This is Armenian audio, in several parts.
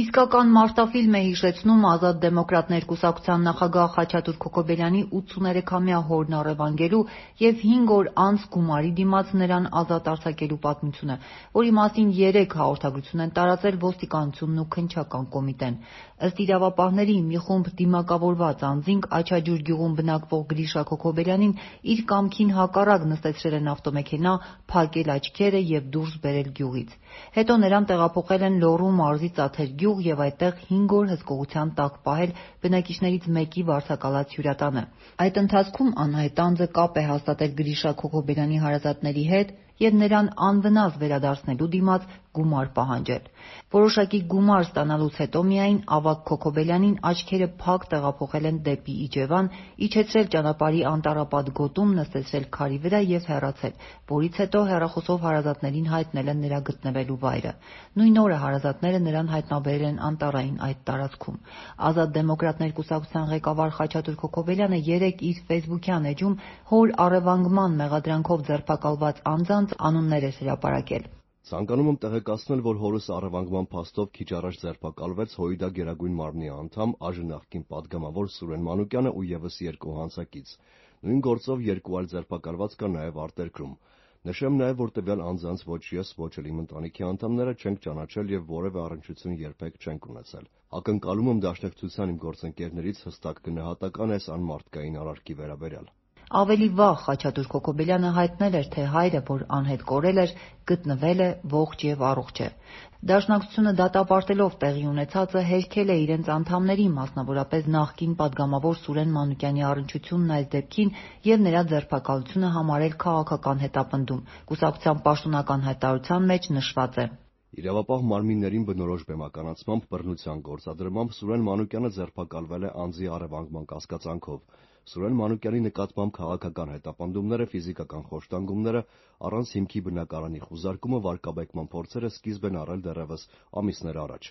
Իսկական մարտաֆիլմ է հիշեցնում Ազատ դեմոկրատներ կուսակցության նախագահ Խաչատուր Քոքոբելյանի 83-ամյա հորն առևանգելու և 5 օր անց գումարի դիմաց նրան ազատ արձակելու պատմությունը, որի մասին 3 հաղորդագրություն են տարածել ոստիկանությունն ու Քննչական կոմիտեն։ Ըստ իրավապահների, մի խումբ դիմակավորված անձինք Աչաջուր գյուղում բնակվող Գրիշա Քոքոբելյանին իր կամքին հակառակ նստեցրել են ավտոմեքենա, փակել աչքերը և դուրս բերել գյուղից։ Հետո նրան տեղափոխել են Լոռու մարզի Ծաթեր գյուղ և այդտեղ 5 օր հսկողության տակ պահել բնակիչներից մեկի վարձակալած հյուրատանը։ Այդ ընթացքում անհայտ անձը կապ է հաստատել Գրիշա Քոքոբելյանի հարազատների հետ և նրան անվնաս վերադարձնելու դիմաց գումար պահանջել։ Որոշակի գումար ստանալուց հետո միայն ավագ Քոքոբելյանին աչքերը փակ տեղափոխել են դեպի Իջևան, իջեցրել ճանապարհի անտառապատ գոտում, նստեցրել քարի վրա և հեռացել, որից հետո հեռախոսով հարազատներին հայտնել են նրա գտնվելու վայրը։ Նույն օրը հարազատները նրան հայտնաբերել են անտառային այդ տարածքում։ Ազատ դեմոկրատներ կուսակցության ղեկավար Խաչատուր Քոքոբելյանը երեկ իր ֆեյսբուքյան էջում հոր առևանգման մեղադրանքով ձերբակալված անձանց անուններ էր հրապարակել։ Ցանկանում եմ տեղեկացնել, որ հորս առևանգման փաստով քիչ առաջ ձերբակալվեց ՀՅԴ Գերագույն մարմնի անդամ, այժմ նախկին падգամավոր Սուրեն Մանուկյանը ու ևս 2 հանցակից։ Նույն գործով 2 այլ ձերբակալված կա նաև արտերկրում։ Նշեմ նաև, որ տվյալ անձանց ոչ ես, ոչ էլ իմ ընտանիքի անդամները չենք ճանաչել և որևէ առնչություն երբեք չենք ունեցել։ Ակնկալում եմ դաշնակցության իմ գործընկերներից հստակ գնահատական այս անմարդկային արարքի վերաբերյալ։ Ավելի վաղ Խաչատուր Քոքոբելյանը հայտնել էր, թե հայրը, որ անհետ կորել էր, գտնվել է ողջ և առողջ է։ Դաշնակցությունը դատապարտելով տեղի ունեցածը հերքել է իրենց անդամների, մասնավորապես նախկին падգամավոր Սուրեն Մանուկյանի առնչությունն այս դեպքին և նրա ձերբակալությունը համարել քաղաքական հետապնդում։ Կուսակցության պաշտոնական հայտարարության մեջ նշված է. Իրավապահ մարմիններին բնորոշ բեմականացմամբ բռնության գործադրմամբ Սուրեն Մանուկյանը ձերբակալվել է անձի առևանգման կասկածանքով։ Սուրեն Մանուկյանի նկատմամբ քաղաքական հետապնդումները, ֆիզիկական խոշտանգումները, առանց հիմքի բնակարանի խուզարկումը, վարկաբեկման փորձերը սկիզբ են առել դեռևս ամիսներ առաջ։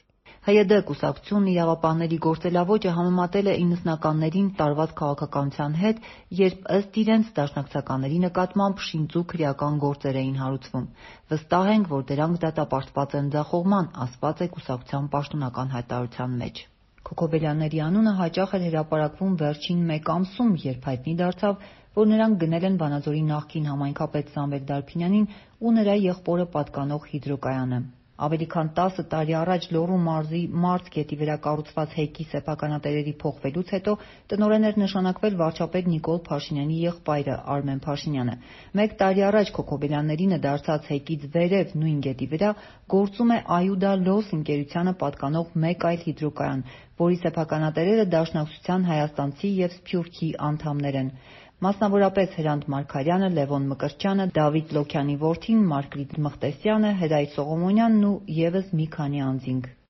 ՀՅԴ կուսակցությունն իրավապահների գործելավոճը համեմատել է 90-ականներին տարված քաղաքականության հետ, երբ ըստ իրենց դաշնակցականների նկատմամբ շինծու քրեական գործեր էին հարուցվում։ Վստահ ենք, որ դրանք դատապարտված են ձախողման, ասված է կուսակցության պաշտոնական հայտարարության մեջ։ Քոքոբելյանների անունը հաճախ էր հրապարակվում վերջին 1 ամսում, երբ հայտնի դարձավ, որ նրանք գնել են Վանաձորի նախկին համայնքապետ Սամվել Դարբինյանին ու նրա եղբորը պատկանող հիդրոկայանը։ Ավելի քան 10 տարի առաջ Լոռու մարզի Մարծ գետի վրա կառուցված հեքի սեփականատերերի փոխվելուց հետո տնօրեն էր նշանակվել վարչապետ Նիկոլ Փաշինյանի եղբայրը Արմեն Փաշինյանը։ 1 տարի առաջ Քոքոբելյաններինը դարձած հեկից վերև նույն գետի վրա գործում է Այուդա Լոս ընկերությանը պատկանող մեկ այլ հիդրոկայան, որի սեփականատերերը Դաշնակցության հայաստանցի և Սփյուռքի անդամներ են։ Մասնավորապես Հրանտ Մարգարյանը, Լևոն Մկրտչյանը, Դավիթ Լոքյանի որդին, Մարգրիտ Մղտեսյանը, Հրայր Սողոմոնյանն ու ևս մի քանի անձինք։